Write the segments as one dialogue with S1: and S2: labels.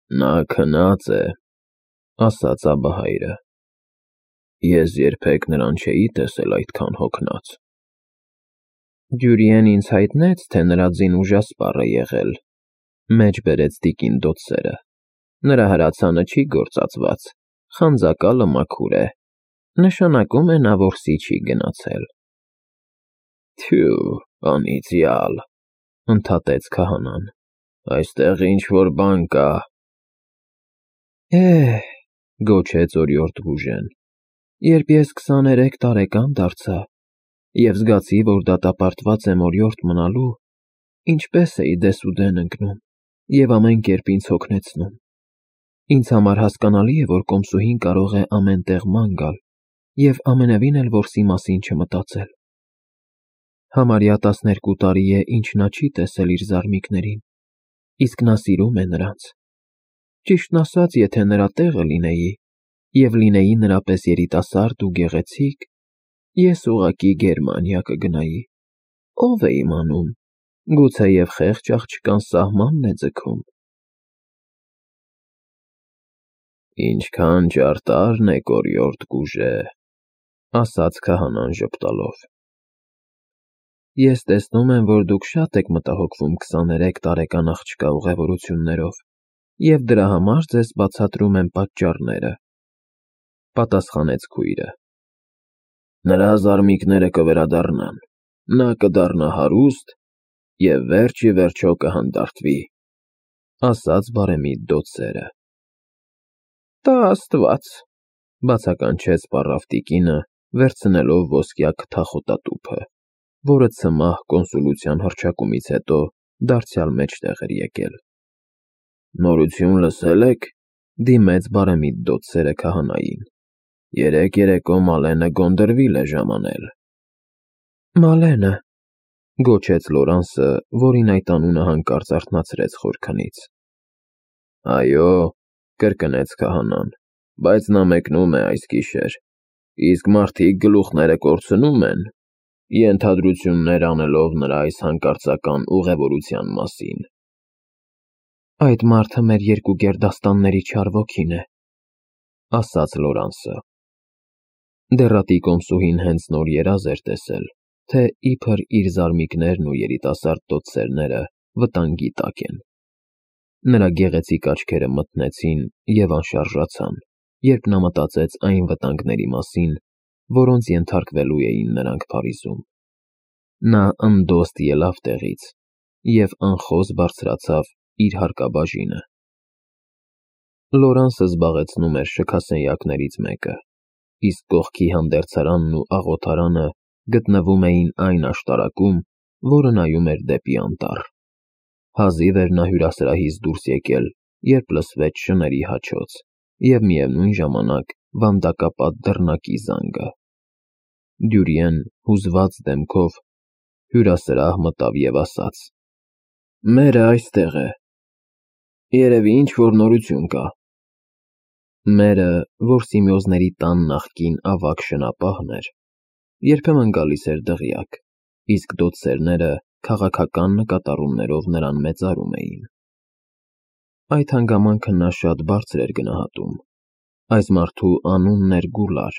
S1: Նա քնած է, ասաց Աբահայրը, ես երբեք նրան չէի տեսել այդքան հոգնած։ Դյուրիեն ինձ հայտնեց, թե նրա ձին ուժասպառ է եղել, մեջ բերեց տիկին դոցերը, նրա հրացանը չի գործածված, խանձակալը մաքուր է, նշանակում է նա որսի չի գնացել։ Թյու, անիծյալ, ընդհատեց քահանան, այստեղ ինչ-որ բան կա։ Գոչեց օրիորդ Գուժեն, երբ ես 23 տարեկան դարձա և զգացի, որ դատապարտված եմ օրիորդ մնալու, ինչպես էի դեսուդեն ընկնում և ամեն կերպ ինձ հոգնեցնում։ Ինձ համար հասկանալի է, որ կոմսուհին կարող է ամեն տեղ ման գալ և ամենևին էլ որսի մասին չմտածել։ Համարյա 12 տարի է, ինչ նա չի տեսել իր զարմիկներին, իսկ նա սիրում է նրանց։ Ճիշտն ասած, եթե նրա տեղը լինեի և լինեի նրա պես երիտասարդ ու գեղեցիկ, ես ուղղակի Գերմանիա կգնայի, ով է իմանում, գուցեև խեղճ աղջկան սահմանն է ձգում։ Ինչքան ճարտարն եք, օրիորդ Գուժե, ասաց քահանան ժպտալով։ Ես տեսնում եմ, որ դուք շատ եք մտահոգվում 23 տարեկան աղջկա ուղևորություններով և դրա համար ձեզ բացատրում եմ պատճառները, պատասխանեց քույրը։ Նրա զարմիկները կվերադառնան, նա կդառնա հարուստ և վերջ ի վերջո կհանդարտվի, ասաց բարեմիտ դոցերը։ Տա Աստված, բացականչեց պառավ տիկինը, վերցնելով ոսկյա քթախոտատուփը, որը ցմահ կոնսուլության հռչակումից հետո դարձյալ մեջտեղ էր եկել։ Նորություն լսել եք, դիմեց բարեմիտ դոցերը քահանային։ Երեկ երեկո Մալենը Գոնդրվիլ է ժամանել։ Մալենը, գոչեց Լորանսը, որին այդ անունը հանկարծ արթնացրեց խորքնից։ Այո, կրկնեց քահանան, բայց նա մեկնում է այս գիշեր, իսկ մարդիկ գլուխները կորցնում են, ենթադրություններ անելով նրա այս հանկարծական ուղևորության մասին։ Այդ մարդը մեր երկու գերդաստանների չար ոգին է, ասաց Լորանսը։ Դեռատի կոմսուհին հենց նոր երազ էր տեսել, թե իբր իր զարմիկներն ու երիտասարդ դոցերները վտանգի տակ են։ Նրա գեղեցիկ աչքերը մթնեցին և անշարժացան, երբ նա մտածեց այն վտանգների մասին, որոնց ենթարկվելու էին նրանք Փարիզում։ Նա ընդոստ ելավ տեղից և անխոզ բարձրացավ իր հարկաբաժինը։ Լորանսը զբաղեցնում էր շքասենյակներից մեկը, իսկ կողքի հանդերձարանն ու աղոթարանը գտնվում էին այն աշտարակում, որը նայում էր դեպի անտառ։ Հազիվ էր նա հյուրասրահից դուրս եկել, երբ լսվեց շների հաչոց և միևնույն ժամանակ վանդակապատ դռնակի զանգը։ Դյուրիեն հուզված դեմքով հյուրասրահ մտավ և ասաց. Մերը այստեղ է։ Երևի ինչ-որ նորություն կա։ Մերը, որ Սիմեոզների տան նախկին ավագ շնապահն էր, երբեմն գալիս էր դղյակ, իսկ դոցերները քաղաքական նկատառումներով նրան մեծարում էին։ Այդ հանգամանքը նա շատ բարձր էր գնահատում։ Այս մարդու անունն էր Գուլար։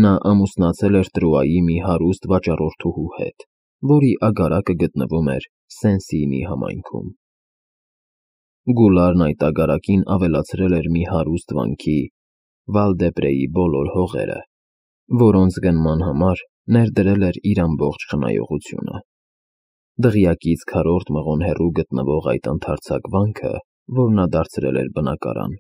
S1: Նա ամուսնացել էր Տրուայի մի հարուստ վաճառորդուհու հետ, որի ագարակը գտնվում էր Սեն-Սիինի համայնքում։ Գուլարն այդ ագարակին ավելացրել էր մի հարուստ վանքի Վալ-դե-Պրեի բոլոր հողերը, որոնց գնման համար ներդրել էր իր ամբողջ խնայողությունը։ Դղյակից քառորդ մղոն հեռու գտնվող այդ ընդարձակ վանքը, որ նա դարձրել էր բնակարան,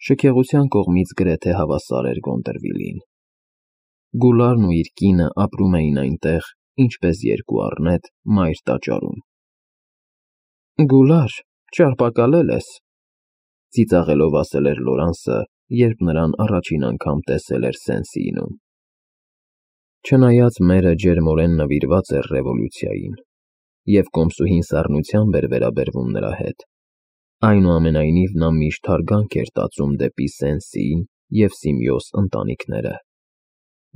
S1: շքեղության կողմից գրեթե հավասար էր Գոնդրվիլին։ Գուլարն ու իր կինը ապրում էին այնտեղ, ինչպես երկու առնետ մայր տաճարում։ Գուլար, ճարպակալել ես, ծիծաղելով ասել էր Լորանսը, երբ նրան առաջին անգամ տեսել էր Սեն-Սիինում։ Չնայած մերը ջերմորեն նվիրված էր ռևոլյուցիային, և կոմսուհին սառնությամբ էր վերաբերվում նրա հետ, այնուամենայնիվ նա միշտ հարգանք էր տածում դեպի Սեն-Սիին և Սիմեոզ ընտանիքները։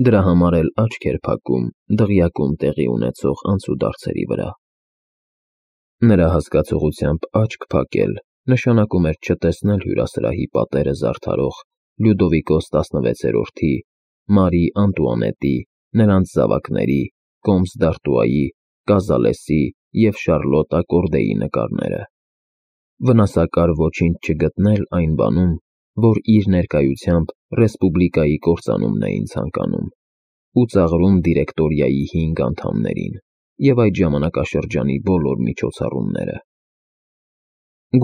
S1: Դրա համար էլ աչք էր փակում դղյակում տեղի ունեցող անցուդարձերի վրա։ Նրա հասկացողությամբ աչք փակել նշանակում էր չտեսնել հյուրասրահի պատերը զարդարող Լյուդովիկոս 16-րդի, Մարի Անտուանետի, նրանց զավակների, Կոմս դ'Արտուայի, Կազալեսի և Շարլոտա Կորդեի նկարները։ Վնասակար ոչինչ չգտնել այն բանում, որ իր ներկայությամբ ռեսպուբլիկայի կործանումն էին ցանկանում, ու ծաղրում դիրեկտորիայի 5 անդամներին և այդ ժամանակաշրջանի բոլոր միջոցառումները։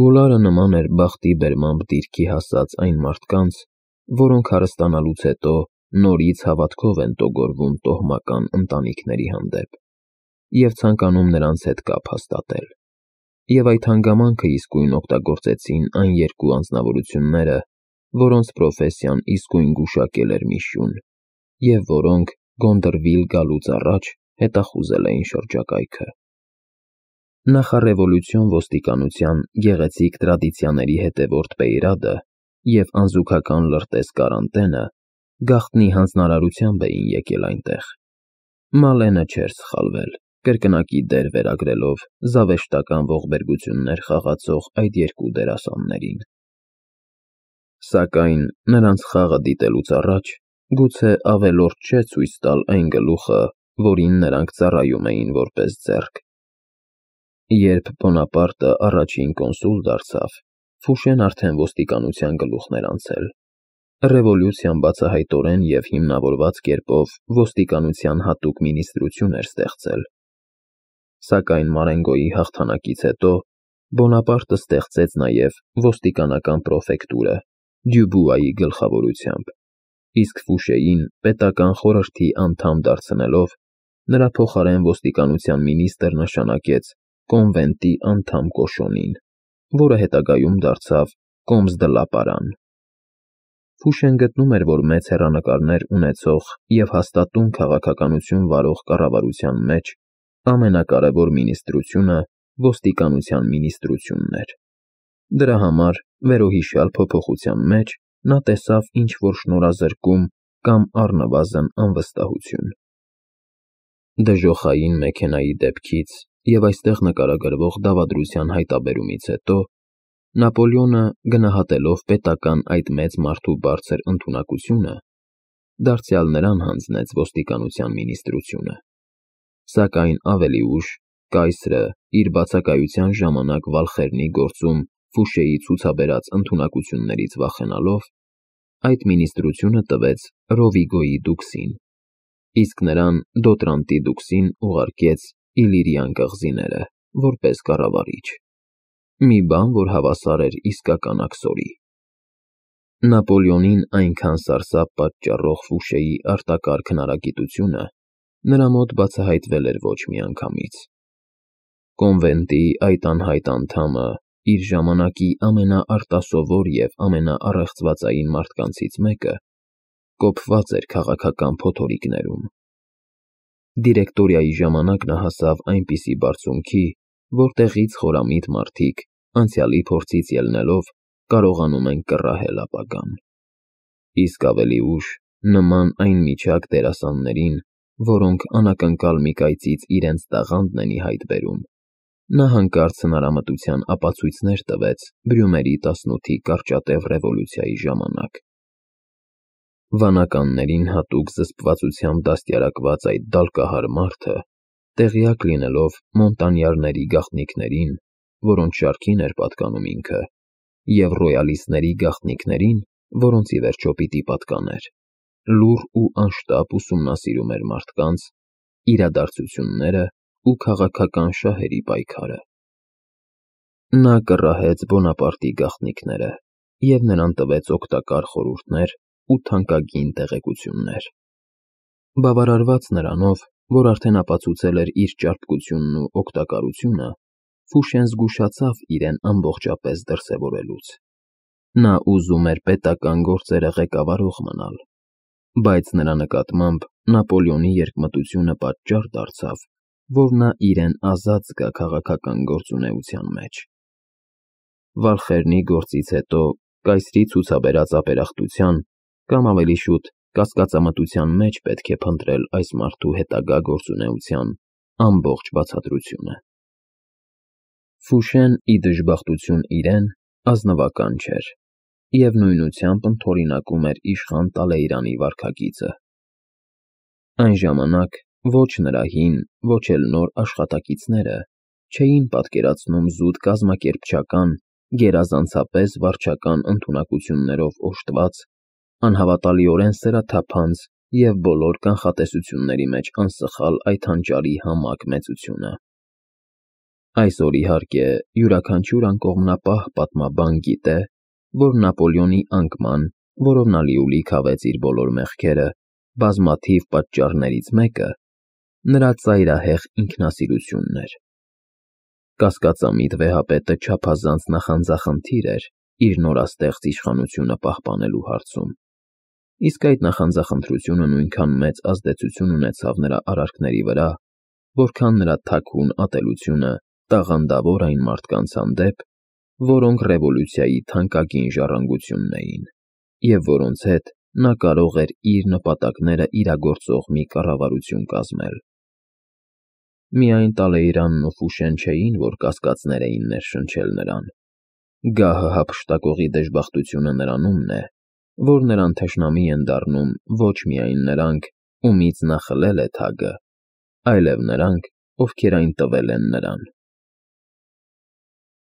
S1: Գուլարը նման էր բախտի բերմամբ դիրքի հասած այն մարդկանց, որոնք հարստանալուց հետո նորից հավատքով են տոգորվում տոհմական ընտանիքների հանդեպ և ցանկանում նրանց հետ կապ հաստատել, և այդ հանգամանքը իսկույն օգտագործեցին այն երկու անձնավորությունները, որոնց պրոֆեսիան իսկույն գուշակել էր մի շուն, և որոնք Գոնդրվիլ գալուց առաջ հետախուզել էին շրջակայքը։ Նախառևոլյուցիոն ոստիկանության գեղեցիկ տրադիցիաների հետևորդ Պեյրադը և անզուգական լրտես Կարանտենը գաղտնի հանձնարարությամբ էին եկել այնտեղ։ Մալենը չէր սխալվել, կրկնակի դեր վերագրելով զավեշտական ողբերգություններ խաղացող այդ երկու դերասաններին։ Սակայն նրանց խաղը դիտելուց առաջ գուցե ավելորդ չէ ցույց տալ այն գլուխը, որին նրանք ծառայում էին որպես ձեռք։ Երբ Բոնապարտը առաջին կոնսուլ դարձավ, Ֆուշեն արդեն ոստիկանության գլուխն էր անցել։ Ռևոլյուցիան բացահայտորեն և հիմնավորված կերպով ոստիկանության հատուկ մինիստրություն էր ստեղծել։ Սակայն Մարենգոյի հաղթանակից հետո Բոնապարտը ստեղծեց նաև ոստիկանական պրոֆեկտուրը Դյուբուայի գլխավորությամբ, իսկ Ֆուշեին պետական խորհրդի անդամ դարձնելով, նրա փոխարեն ոստիկանության մինիստրը նշանակեց կոնվենտի անդամ Կոշոնին, որը հետագայում դարձավ Կոմս դ'Լա Պարան։ Ֆուշեն գտնում էր, որ մեծ հեռանկարներ ունեցող և հաստատուն քաղաքականություն վարող կառավարության մեջ ամենակարևոր մինիստրությունը ոստիկանության մինիստրությունն էր։ Դրա համար վերոհիշյալ փոփոխության մեջ նա տեսավ ինչ-որ շնորհազրկում կամ առնվազն անվստահություն։ Դժոխային մեքենայի դեպքից և այստեղ նկարագրվող դավադրության հայտաբերումից հետո Նապոլեոնը, գնահատելով պետական այդ մեծ մարդու բարձր ընդունակությունը, դարձյալ նրան հանձնեց ոստիկանության մինիստրությունը։ Սակայն ավելի ուշ կայսրը, իր բացակայության ժամանակ Վալխերնի գործում Ֆուշեի ցուցաբերած ընդունակություններից վախենալով, այդ մինիստրությունը տվեց Ռովիգոյի դուքսին, իսկ նրան Դոտրանտի դուքսին ուղարկեց Իլիրյան կղզիները, որպես կառավարիչ։ Մի բան, որ հավասար էր իսկական աքսորի։ Նապոլեոնին այնքան սարսափ պատճառող Ֆուշեի արտակարգ հնարագիտությունը նրա մոտ բացահայտվել էր ոչ մի անգամից։ Կոնվենտի այդ անհայտ անդամը իր ժամանակի ամենաարտասովոր և ամենաառեղծվածային մարդկանցից մեկը կոփված էր քաղաքական փոթորիկներում։ Դիրեկտորիայի ժամանակ նա հասավ այնպիսի բարձունքի, որտեղից խորամիտ մարդիկ, անցյալի փորձից ելնելով, կարողանում են կռահել ապագան։ Իսկ ավելի ուշ, նման այն միջակ դերասաններին, որոնք անակնկալ մի կայծից իրենց տաղանդն են ի հայտ բերում, նա հանկարծ հնարամտության ապացույցներ տվեց Բրյումերի 18-ի կարճատև ռևոլյուցիայի ժամանակ։ Վանականներին հատուկ զսպվածությամբ դաստիարակված այդ դալկահար մարդը, տեղյակ լինելով Մոնտանյարների գաղտնիքներին, որոնց շարքին էր պատկանում ինքը, և ռոյալիստների գաղտնիքներին, որոնց ի վերջո պիտի պատկաներ, լուռ ու անշտապ ուսումնասիրում էր մարդկանց, իրադարձությունները ու քաղաքական շահերի պայքարը։ Նա կռահեց Բոնապարտի գաղտնիքները և նրան տվեց օգտակար խորհուրդներ ու թանկագին տեղեկություններ։ Բավարարված նրանով, որ արդեն ապացուցել էր իր ճարպկությունն ու օգտակարությունը, Ֆուշեն զգուշացավ իրեն ամբողջապես դրսևորելուց։ Նա ուզում էր պետական գործերը ղեկավարող մնալ, բայց նրա նկատմամբ Նապոլեոնի երկմտությունը պատճառ դարձավ, որ նա իրեն ազատ զգա քաղաքական գործունեության մեջ։ Վալխերնի գործից հետո կայսրի ցուցաբերած ապերախտության, կամ ավելի շուտ կասկածամտության մեջ պետք է փնտրել այս մարդու հետագա գործունեության ամբողջ բացատրությունը։ Ֆուշեն, ի դժբախտություն իրեն, ազնվական չէր և նույնությամբ ընդօրինակում էր իշխան Տալեյրանի վարքագիծը։ Այն ժամանակ ոչ նրա հին, ոչ էլ նոր աշխատակիցները չէին պատկերացնում զուտ կազմակերպչական, գերազանցապես վարչական ընդունակություններով օժտված, անհավատալիորեն սրաթափանց և բոլոր կանխատեսությունների մեջ անսխալ այդ հանճարի համակ մեծությունը։ Այսօր, իհարկե, յուրաքանչյուր անկողմնապահ պատմաբան գիտե, որ Նապոլեոնի անկման, որով նա լիուլի քավեց իր բոլոր մեղքերը, բազմաթիվ պատճառներից մեկը նրա ծայրահեղ ինքնասիրությունն էր։ Կասկածամիտ վեհապետը չափազանց նախանձախնդիր էր իր նորաստեղծ իշխանությունը պահպանելու հարցում, իսկ այդ նախանձախնդրությունը նույնքան մեծ ազդեցություն ունեցավ նրա արարքների վրա, որքան նրա թաքուն ատելությունը տաղանդավոր այն մարդկանց հանդեպ, որոնք ռևոլյուցիայի թանկագին ժառանգությունն էին, և որոնց հետ նա կարող էր իր նպատակները իրագործող մի կառավարություն կազմել։ Միայն Տալեյրանն ու Ֆուշեն չէին, որ կասկածներ էին ներշնչել նրան։ Գահը հափշտակողի դժբախտությունը նրանումն է, որ նրան թշնամի են դառնում ոչ միայն նրանք, ումից նա խլել է թագը, այլև նրանք, ովքեր այն տվել են նրան։